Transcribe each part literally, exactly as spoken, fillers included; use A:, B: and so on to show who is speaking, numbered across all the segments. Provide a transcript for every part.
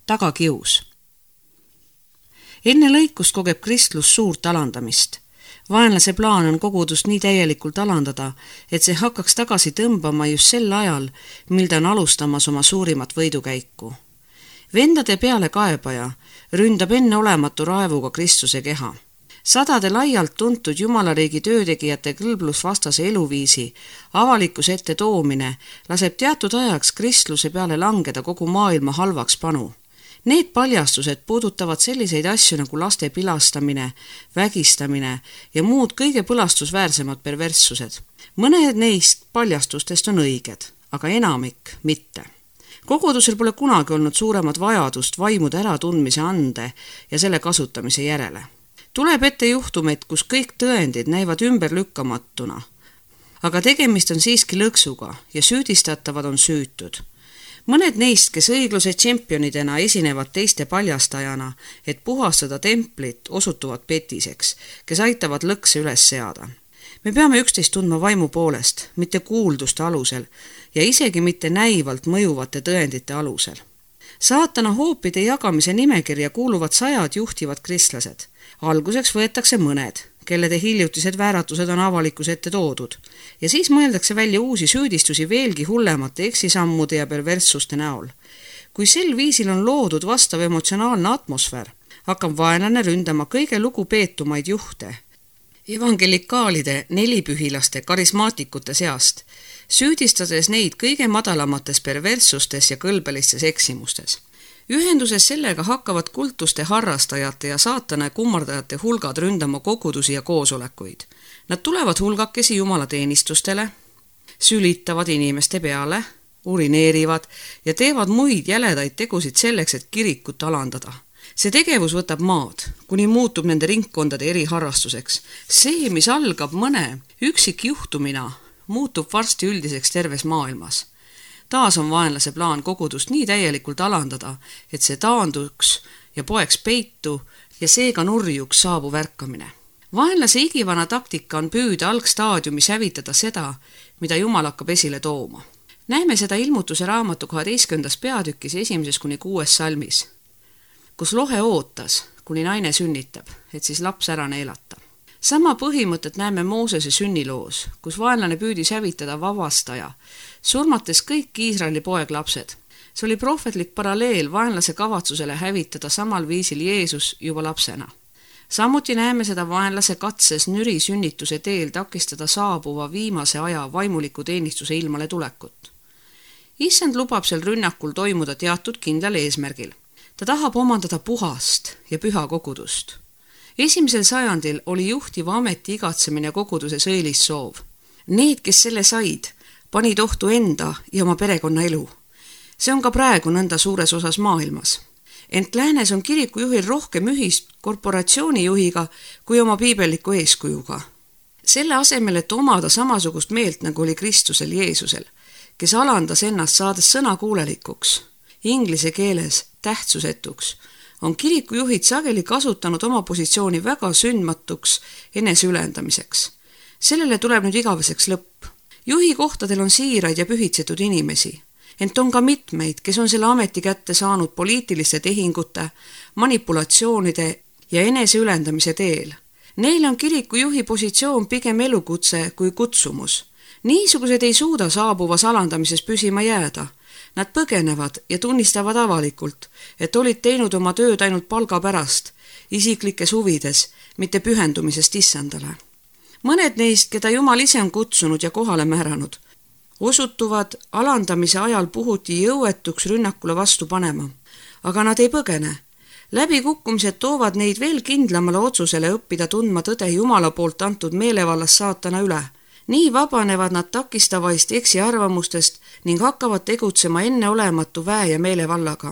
A: Tagakius. Enne lõikust kogeb kristlus suurt alandamist. Vaenlase plaan on kogudust nii täielikult alandada, et see hakkaks tagasi tõmbama just sel ajal, mil ta on alustamas oma suurimat võidukäiku. Vendade peale kaebaja ründab enne olematu raevuga Kristuse keha. Sadade laialt tuntud jumalariigi töötegijate kõlblusvastase eluviisi avalikkuse ette toomine laseb teatud ajaks kristluse peale langeda kogu maailma halvaks panu. Need paljastused puudutavad selliseid asju nagu laste pilastamine, vägistamine ja muud kõige põlastusväärsemad perverssused. Mõned neist paljastustest on õiged, aga enamik mitte. Kogudusel pole kunagi olnud suuremat vajadust vaimude äratundmise ande ja selle kasutamise järele. Tuleb ette juhtumeid, kus kõik tõendid näivad ümberlükkamatuna, aga tegemist on siiski lõksuga ja süüdistatavad on süütud. Mõned neist, kes õigluse tšempionidena esinevad teiste paljastajana, et puhastada templit, osutuvad petiseks, kes aitavad lõkse üles seada. Me peame üksteist tundma vaimu poolest, mitte kuulduste alusel ja isegi mitte näivalt mõjuvate tõendite alusel. Saatana hoopide jagamise nimekirja kuuluvad sajad juhtivad kristlased. Alguseks võetakse mõned, kellede hiljutised vääratused on avalikkuse ette toodud, ja siis mõeldakse välja uusi süüdistusi veelgi hullemate eksisammude ja perverssuste näol. Kui sel viisil on loodud vastav emotsionaalne atmosfäär, hakkab vaenlane ründama kõige lugupeetumaid juhte, evangelikaalide, nelipühilaste, karismaatikute seast, süüdistades neid kõige madalamates perverssustes ja kõlbelistes eksimustes. Ühenduses sellega hakkavad kultuste harrastajate ja saatana kummardajate hulgad ründama kogudusi ja koosolekuid. Nad tulevad hulgakesi jumalateenistustele, sülitavad inimeste peale, urineerivad ja teevad muid jäledaid tegusid selleks, et kirikut alandada. See tegevus võtab maad, kuni muutub nende ringkondade eriharrastuseks. See, mis algab mõne üksikjuhtumina, muutub varsti üldiseks terves maailmas. Taas on vaenlase plaan kogudust nii täielikult alandada, et see taanduks ja poeks peitu ja seega nurjuks saabu värkamine. Vaenlase igivana taktika on püüda algstaadiumis hävitada seda, mida Jumal hakkab esile tooma. Näeme seda ilmutuse raamatu kaheteistkümnendas peatükis esimeses kuni kuues salmis, kus lohe ootas, kuni naine sünnitab, et siis laps ära neelata. Sama põhimõtet näeme Moosese sünniloos, kus vaenlane püüdis hävitada vavastaja, surmates kõik Iisraeli poeglapsed. See oli prohvetlik paralleel vaenlase kavatsusele hävitada samal viisil Jeesus juba lapsena. Samuti näeme seda vaenlase katses nüri sünnituse teel takistada saabuva viimase aja vaimuliku teenistuse ilmale tulekut. Issand lubab sel rünnakul toimuda teatud kindlal eesmärgil. Ta tahab omandada puhast ja püha kogudust. Esimesel sajandil oli juhtiva ameti igatsemine koguduses õilis soov. Need, kes selle said, panid ohtu enda ja oma perekonna elu. See on ka praegu nõnda suures osas maailmas. Ent läänes on kirikujuhil rohkem ühist korporatsioonijuhiga kui oma piibelliku eeskujuga. Selle asemel, et omada samasugust meelt, nagu oli Kristusel Jeesusel, kes alandas ennast saades sõnakuulelikuks, inglise keeles tähtsusetuks, on kirikujuhid sageli kasutanud oma positsiooni väga sündmatuks eneseülendamiseks. Sellele tuleb nüüd igaveseks lõpp. Juhi kohtadel on siiraid ja pühitsetud inimesi, ent on ka mitmeid, kes on selle ameti kätte saanud poliitiliste tehingute, manipulatsioonide ja eneseülendamise teel. Neil on kirikujuhi positsioon pigem elukutse kui kutsumus. Niisugused ei suuda saabuvas alandamises püsima jääda. Nad põgenevad ja tunnistavad avalikult, et olid teinud oma tööd ainult palga pärast, isiklikes huvides, mitte pühendumisest issandale. Mõned neist, keda Jumal ise on kutsunud ja kohale määranud, osutuvad alandamise ajal puhuti jõuetuks rünnakule vastu panema, aga nad ei põgene. Läbikukkumised toovad neid veel kindlamale otsusele õppida tundma tõde Jumala poolt antud meelevallas saatana üle. Nii vabanevad nad takistavaist eksiarvamustest ning hakkavad tegutsema enneolematu väe ja meelevallaga.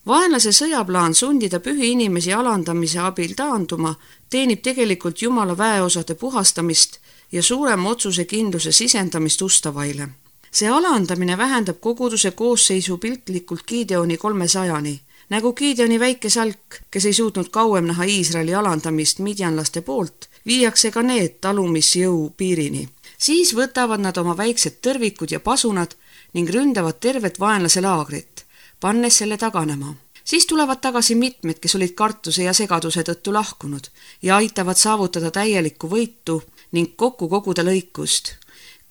A: Vaenlase sõjaplaan sundida pühi inimesi alandamise abil taanduma teenib tegelikult Jumala väeosade puhastamist ja suurema otsusekindluse sisendamist ustavaile. See alandamine vähendab koguduse koosseisu piltlikult Gideoni kolmesajani, nagu Gideoni väike salk, kes ei suutnud kauem näha Iisraeli alandamist midjanlaste poolt, viiakse ka need talumisjõu piirini. Siis võtavad nad oma väiksed tõrvikud ja pasunad ning ründavad tervet vaenlase laagrit, pannes selle taganema. Siis tulevad tagasi mitmed, kes olid kartuse ja segaduse tõttu lahkunud ja aitavad saavutada täielikku võitu ning kokku koguda lõikust.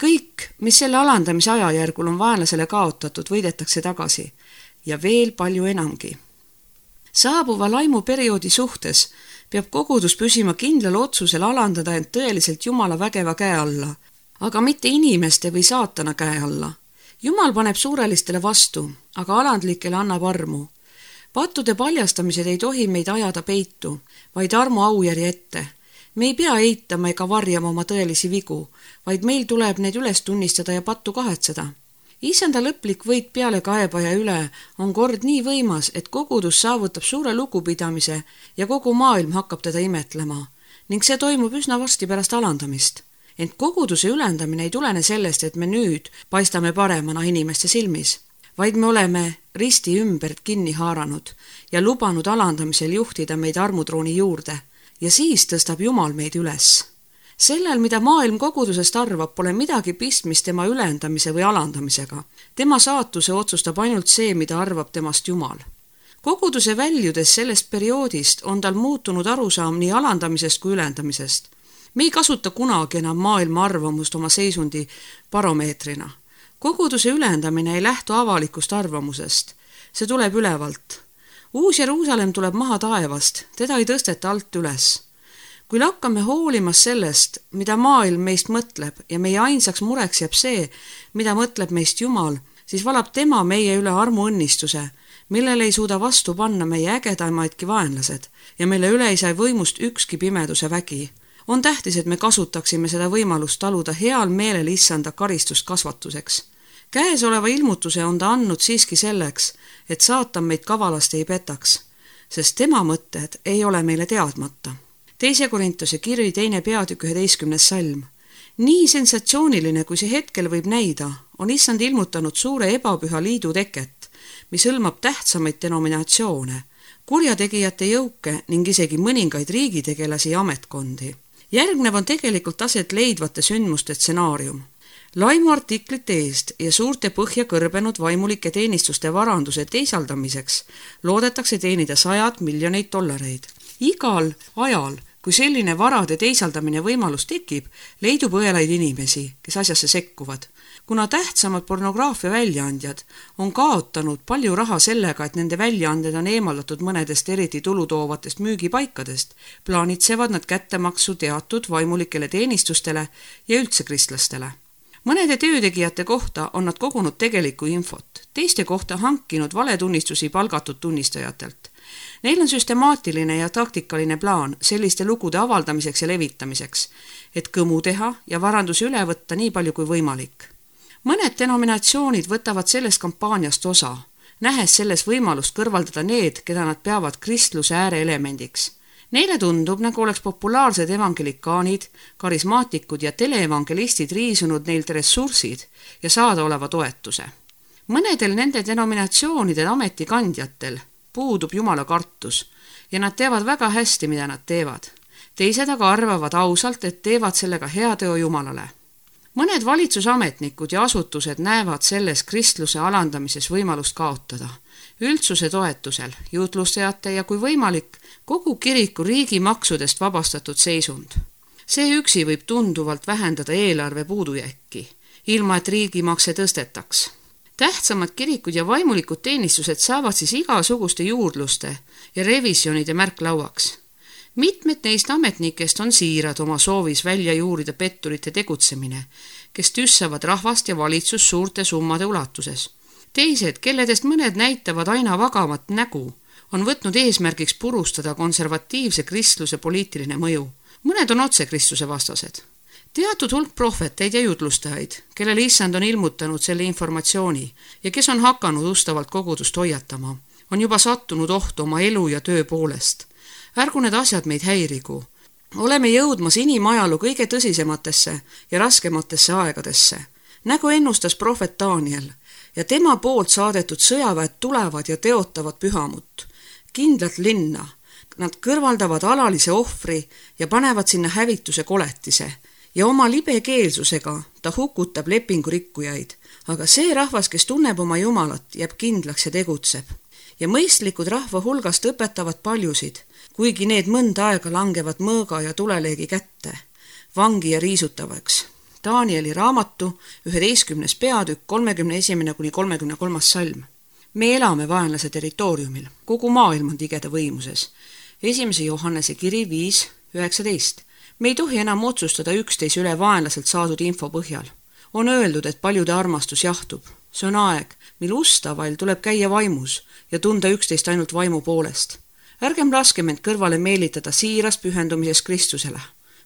A: Kõik, mis selle alandamise ajajärgul on vaenlasele kaotatud, võidetakse tagasi ja veel palju enamgi. Saabuva laimuperioodi suhtes peab kogudus püsima kindlal otsusel alandada end tõeliselt Jumala vägeva käe alla, aga mitte inimeste või saatana käe alla. Jumal paneb suurelistele vastu, aga alandlikele annab armu. Pattude paljastamised ei tohi meid ajada peitu, vaid armu aujärje ette. Me ei pea eitama ega varjama oma tõelisi vigu, vaid meil tuleb need üles tunnistada ja pattu kahetseda. Issanda lõplik võit peale kaebaja üle on kord nii võimas, et kogudus saavutab suure lugupidamise ja kogu maailm hakkab teda imetlema ning see toimub üsna varsti pärast alandamist. Ent koguduse ülendamine ei tulene sellest, et me nüüd paistame paremana inimeste silmis, vaid me oleme risti ümbert kinni haaranud ja lubanud alandamisel juhtida meid armutrooni juurde ja siis tõstab Jumal meid üles. Sellel, mida maailm kogudusest arvab, pole midagi pistmist tema ülendamise või alandamisega. Tema saatuse otsustab ainult see, mida arvab temast Jumal. Koguduse väljudes sellest perioodist on tal muutunud arusaam nii alandamisest kui ülendamisest. Me ei kasuta kunagi enam maailma arvamust oma seisundi baromeetrina. Koguduse ülendamine ei lähtu avalikust arvamusest. See tuleb ülevalt. Uus Jeruusalemm tuleb maha taevast, teda ei tõsteta alt üles. Kui lakkame hoolimas sellest, mida maailm meist mõtleb ja meie ainsaks mureks jääb see, mida mõtleb meist Jumal, siis valab tema meie üle armuõnnistuse, millele ei suuda vastu panna meie ägedamaidki vaenlased ja mille üle ei saa võimust ükski pimeduse vägi. On tähtis, et me kasutaksime seda võimalust taluda heal meelel issanda karistust kasvatuseks. Käesoleva ilmutuse on ta andnud siiski selleks, et saatan meid kavalasti ei petaks, sest tema mõtted ei ole meile teadmata. Teise Korintuse kiri teine peatükk üheteistkümnes salm. Nii sensatsiooniline, kui see hetkel võib näida, on issand ilmutanud suure ebapüha liidu teket, mis hõlmab tähtsamaid denominatsioone, kurjategijate jõuke ning isegi mõningaid riigitegelasi ja ametkondi. Järgnev on tegelikult aset leidvate sündmuste stsenaarium. Laimu artiklite eest ja suurte põhja kõrbenud vaimulike teenistuste varanduse teisaldamiseks loodetakse teenida sajad miljoneid dollareid. Igal ajal, kui selline varade teisaldamine võimalus tekib, leidub õelaid inimesi, kes asjasse sekkuvad. Kuna tähtsamad pornograafia väljaandjad on kaotanud palju raha sellega, et nende väljaanded on eemaldatud mõnedest eriti tulutoovatest müügipaikadest, plaanitsevad nad kättemaksu teatud vaimulikele teenistustele ja üldse kristlastele. Mõnede töötegijate kohta on nad kogunud tegelikku infot, teiste kohta hankinud valetunnistusi palgatud tunnistajatelt. Neil on süstemaatiline ja taktikaline plaan selliste lugude avaldamiseks ja levitamiseks, et kõmu teha ja varandusi üle võtta nii palju kui võimalik. Mõned denominatsioonid võtavad sellest kampaaniast osa, nähes selles võimalust kõrvaldada need, keda nad peavad kristluse ääreelemendiks. Neile tundub, nagu oleks populaarsed evangelikaanid, karismaatikud ja teleevangelistid riisunud neilt ressursid ja saadaoleva toetuse. Mõnedel nende denominatsioonide ametikandjatel puudub Jumala kartus ja nad teavad väga hästi, mida nad teevad. Teised aga arvavad ausalt, et teevad sellega heateo Jumalale. Mõned valitsusametnikud ja asutused näevad selles kristluse alandamises võimalust kaotada. Üldsuse toetusel, juutlustajate ja kui võimalik, kogu kiriku riigi maksudest vabastatud seisund. See üksi võib tunduvalt vähendada eelarve puudujääki, ilma et riigimakse tõstetaks. Tähtsamad kirikud ja vaimulikud teenistused saavad siis igasuguste juurdluste ja revisjonide märklauaks. Mitmed neist ametnikest on siirad oma soovis välja juurida petturite tegutsemine, kes tüssavad rahvast ja valitsus suurte summade ulatuses. Teised, kelledest mõned näitavad aina vagavat nägu, on võtnud eesmärgiks purustada konservatiivse kristluse poliitiline mõju. Mõned on otse kristluse vastased. Teatud hulk prohveteid ja jutlustajaid, kellele issand on ilmutanud selle informatsiooni ja kes on hakanud ustavalt kogudust hoiatama, on juba sattunud ohtu oma elu ja töö poolest. Ärgu need asjad meid häirigu. Oleme jõudmas inimajalu kõige tõsisematesse ja raskematesse aegadesse, nagu ennustas prohvet Daniel, ja tema poolt saadetud sõjaväed tulevad ja teotavad pühamut, kindlat linna. Nad kõrvaldavad alalise ohvri ja panevad sinna hävituse koletise ja oma libekeelsusega ta hukutab lepingu rikkujaid, aga see rahvas, kes tunneb oma Jumalat, jääb kindlaks ja tegutseb. ja mõistlikud rahva hulgast õpetavad paljusid, kuigi need mõnda aega langevad mõõga ja tuleleegi kätte, vangi ja riisutavaks. Danieli raamatu üheteistkümnes peatükk kolmekümne esimene kuni kolmekümne kolmas salm. Me elame vaenlase territooriumil, kogu maailm on tigeda võimuses. Esimese Johannese kiri viis üheksateist. Me ei tohi enam otsustada üksteise üle vaenlaselt saadud info põhjal. On öeldud, et paljude armastus jahtub. See on aeg, mil ustavail tuleb käia vaimus ja tunda üksteist ainult vaimu poolest. Ärgem laskem end kõrvale meelitada siirast pühendumises Kristusele.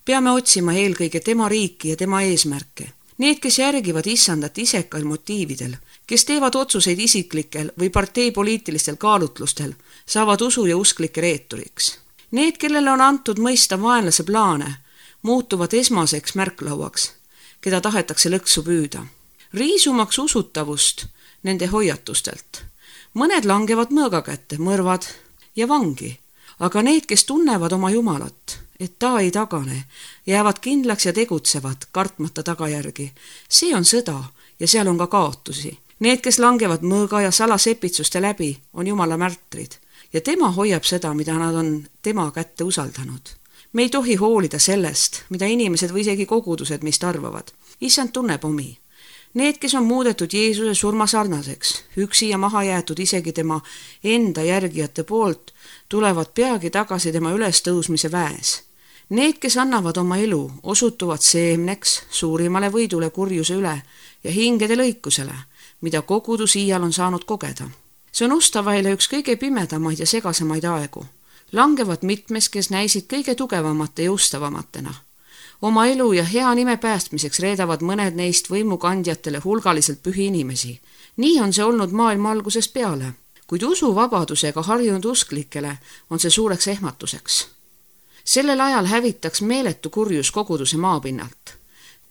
A: Peame otsima eelkõige tema riiki ja tema eesmärke. Need, kes järgivad issandat isekail motiividel, kes teevad otsuseid isiklikel või parteipoliitilistel kaalutlustel, saavad usu ja usklike reeturiks. Need, kellele on antud mõista vaenlase plaane, muutuvad esmaseks märklauaks, keda tahetakse lõksu püüda. Riisumaks usutavust nende hoiatustelt. Mõned langevad mõõga kätte, mõrvad ja vangi, aga need, kes tunnevad oma Jumalat, et ta ei tagane, jäävad kindlaks ja tegutsevad, kartmata tagajärgi. See on sõda ja seal on ka kaotusi. Need, kes langevad mõõga ja salasepitsuste läbi, on Jumala märtrid ja tema hoiab seda, mida nad on tema kätte usaldanud. Me ei tohi hoolida sellest, mida inimesed või isegi kogudused meist arvavad. Issand tunneb omi. Need, kes on muudetud Jeesuse surma sarnaseks, üksi ja maha jäetud isegi tema enda järgijate poolt, tulevad peagi tagasi tema ülestõusmise väes. Need, kes annavad oma elu, osutuvad seemneks suurimale võidule kurjuse üle ja hingede lõikusele, mida kogudus iial on saanud kogeda. See on ustavaile üks kõige pimedamaid ja segasemaid aegu. Langevad mitmes, kes näisid kõige tugevamate ja ustavamatena. Oma elu ja hea nime päästmiseks reedavad mõned neist võimukandjatele hulgaliselt pühi inimesi. Nii on see olnud maailma algusest peale, kuid usuvabadusega harjunud usklikele on see suureks ehmatuseks. Sellel ajal hävitaks meeletu kurjus koguduse maapinnalt,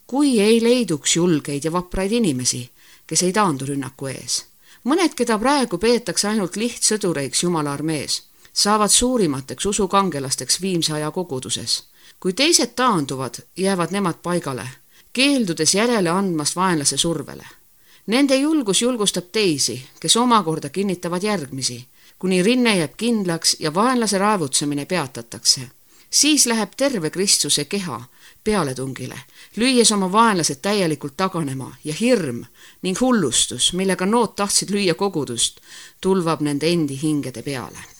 A: kui ei leiduks julgeid ja vapraid inimesi, kes ei taandu rünnaku ees. Mõned, keda praegu peetakse ainult lihtsõdureiks Jumala armees, saavad suurimateks usukangelasteks viimse aja koguduses. Kui teised taanduvad, jäävad nemad paigale, keeldudes järele andmast vaenlase survele. Nende julgus julgustab teisi, kes omakorda kinnitavad järgmisi, kuni rinne jääb kindlaks ja vaenlase raevutsemine peatatakse. Siis läheb terve Kristuse keha pealetungile, lüües oma vaenlased täielikult taganema ja hirm ning hullustus, millega nood tahtsid lüüa kogudust, tulvab nende endi hingede peale.